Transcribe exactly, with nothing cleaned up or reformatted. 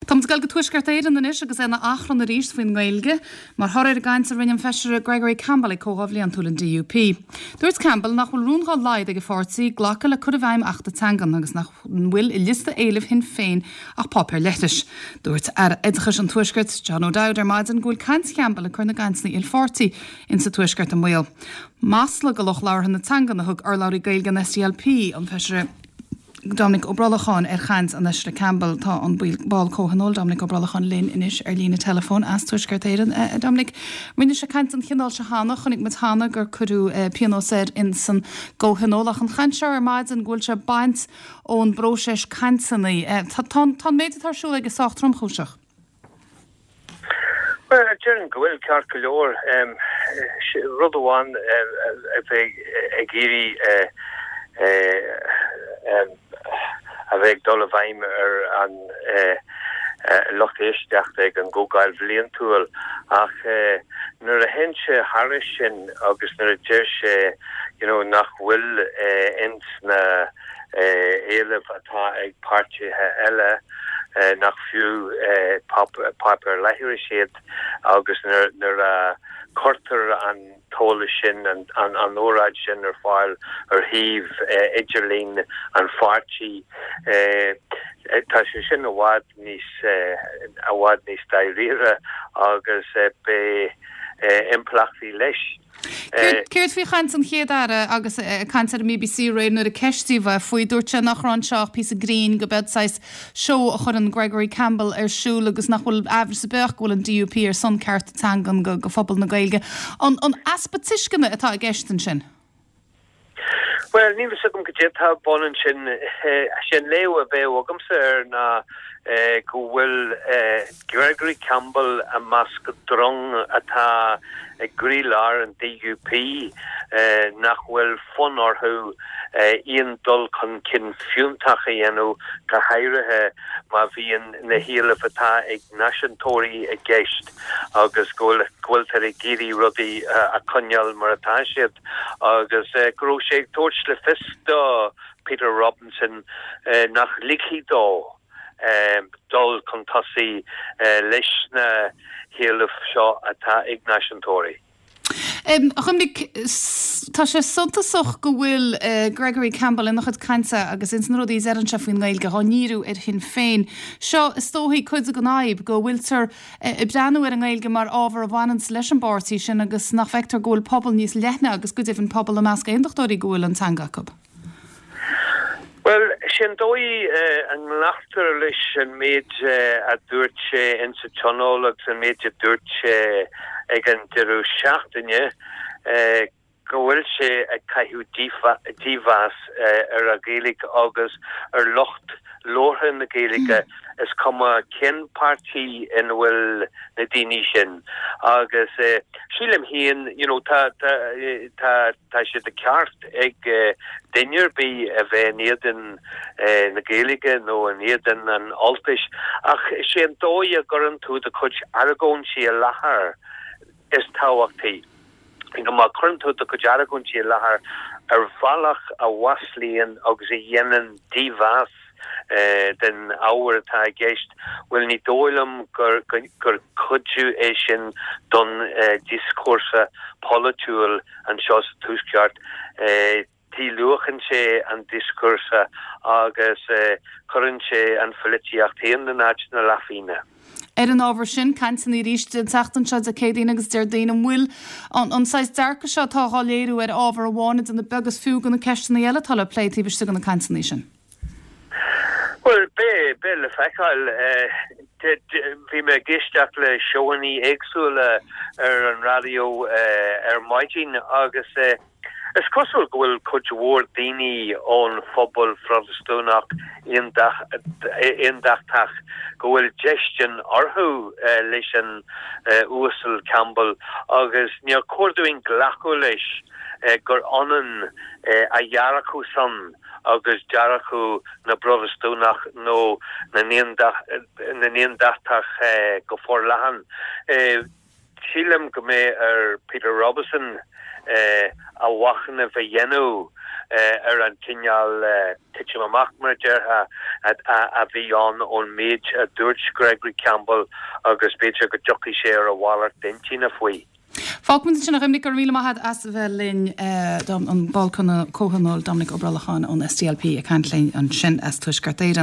Táimid ag dul go Tuaisceart Éireann anois agus é ina achrann arís faoin nGaeilge, mar thoradh ar an gcaint a rinne an Feisire Gregory Campbell ag Comhdháil Bhliantúil an D U P. Dúirt Campbell nach bhfuil rún dá laghad ag a pháirtí glacadh le cur i bhfeidhm Achta Teangan agus nach bhfuil i liosta éilimh Shinn Féin ach páipéar leithris. Dúirt Aire Oideachais an Tuaiscirt John O'Dowd ar maidin go bhfuil caint Campbell ag cur na gcainteanna ilpháirtí insa Tuaisceart i mbaol. Masla do lucht labhartha na teangan a thug urlabhraí Gaeilge an S D L P, an Feisire Dominic Ó Brolacháin, ar chaint an Fheisire Campbell. Tá an ball comhthionóil Dominic Ó Brolacháin linn anois ar líne telefón as Tuaisceart Éireann. Uh, Dominic, rinne sé caint den chineál seo cheana. Chonaic muid cheana gur cuireadh uh, pionós air in san gcomhthionól, ach an chaint seo ar maidin go bhfuil sé baint ón bpróiseas cainteanna. Uh, tá an méid atá ar siúl aige sách tromchúiseach. Well, déarfainn go bhfuil, ceart go leor. Rud amháin a bheith ag iarraidh a bheith ag dul i bhfeidhm ar an lucht éisteachta ag an gcomhdháil bhliantúil, ach nuair a théann sé thairis sin agus nuair a deir sé you know, nach bhfuil ins na éilimh atá ag páirtithe eile, nach fiú páipéar leithris iad, agus nuair a cuirtear an t-eolas sin, an an óráid sin, ar fáil ar shuíomh idirlín an pháirtí, tá sé sin i bhfad níos i bhfad níos dáiríre agus beidh impleachtaí leis. Céard faoi chaint an chéad aire agus caint ar an B B C aréir nuair a ceistíodh é faoi? Dúirt sé nach raibh anseo ach píosa grinn, go b'é saghas seó a chuireann Gregory Campbell ar siúl agus nach bhfuil amhras ar bith go bhfuil an D U P ar son cearta teangan go, go phobal na Gaeilge. An, an easpa tuisceana atá i gceist ansin? Well, ní agam go dtá bun sin sin léamh a bheadh agamsa air ná go bhfuil Gregory Campbell i measc drong atá ag croílár an D U P nach bhfuil fonn orthu aon dul chun cinn fiúntach a dhéanamh, go háirithe má bhíonn na héilimh atá ag náisiúntóirí i gceist agus go bhfuiltear ag iarraidh rudaí a choinneáil mar atá siad, agus go raibh sé ag tabhairt le fios do Peter Robinson nach ligfidh dó dul chun tosaigh leis na héilimh seo atá ag náisiúntóirí. Um, Dhoiminic, tá sé suntasach go bhfuil uh, Gregory Campbell ina chuid cainte agus ins na rudaí a deireann sé faoin nGaeilge á ndíriú ar Shinn Féin. Seo is dóigh cuid den fhadhb, go bhfuiltear uh, ag breathnú ar an nGaeilge mar ábhar a bhaineann leis an bpáirtí sin agus nach bhfeictear go bhfuil pobal níos leithne agus go deimhin pobal i measc aontachtóirí go bhfuil an teanga acu. Well, sin dóigh uh, an nglactar leis an méid uh, a dúirt sé insa tionól agus an méid a dúirt sé ag an deireadh seachtaine, uh, go bhfuil sé ag caitheamh dímheas ar an Ghaeilge agus ar lucht labhartha na Gaeilge, mm. is cuma cén páirtí ina bhfuil na daoine sin. Agus eh, sílim féin you know, tá tá tá tá sé de ceart ag uh, duine ar bith a bheith in éadan uh, na Gaeilge nó in éadan an Ultais, ach sé an dóigh a gcuireann tú do chuid argóintí i láthair is tábhachtaí. Go má chuireann tú do chuid argóintí i láthair ar bhealach a mhaslaíonn agus a dhéanann dímheas eh, den ábhar atá i gceist, well, ní dóigh liom gur gur cuidiú é sin don eh, dioscúrsa polaitiúil anseo sa Tuaisceart. eh, Díluachann sé an dioscúrsa agus eh, cuireann sé an pholaitíocht féin in áit na leathphingine. Ar an ábhar sin, cainteanna arís an tseachtain seo Dé Céadaoin agus Déardaoin, an bhfuil an, an saghas dearcadh seo atá á léiriú ar ábhar amháin den beag is fiú go na ceisteanna eile atá le plé taobh istigh de na cainteanna sin? Well, beidh beidh le feiceáil. Bhí mé ag éisteacht le seóanna éagsúla ar an raidió ar maidin agus is cosúil go bhfuil cuid mhór daoine ón phobal Phrotastúnach aontachtach go bhfuil déistin orthu leis an Uasal Campbell, agus níor chóir dúinn glacadh leis gur ionann a dhearcadh san agus dearcadh na bProtastúnach nó na n-aontachtach go forleathan. Sílim go mbeidh ar Peter Robinson a mhachnamh a dhéanamh ar an cineál titim amach mar a déarfá a bhí ann ón méid a dúirt Gregory Campbell agus b'fhéidir go dtiocfaidh sé ar a mhalairt intinne faoi. Fágfaimid ansin é a Dhoiminic go raibh míle maith agat as a bheith linn an ball comhthionóil Dominic Ó Brollacháin ón SDLP ag caint linn ansin as Tuaisceart Éireann.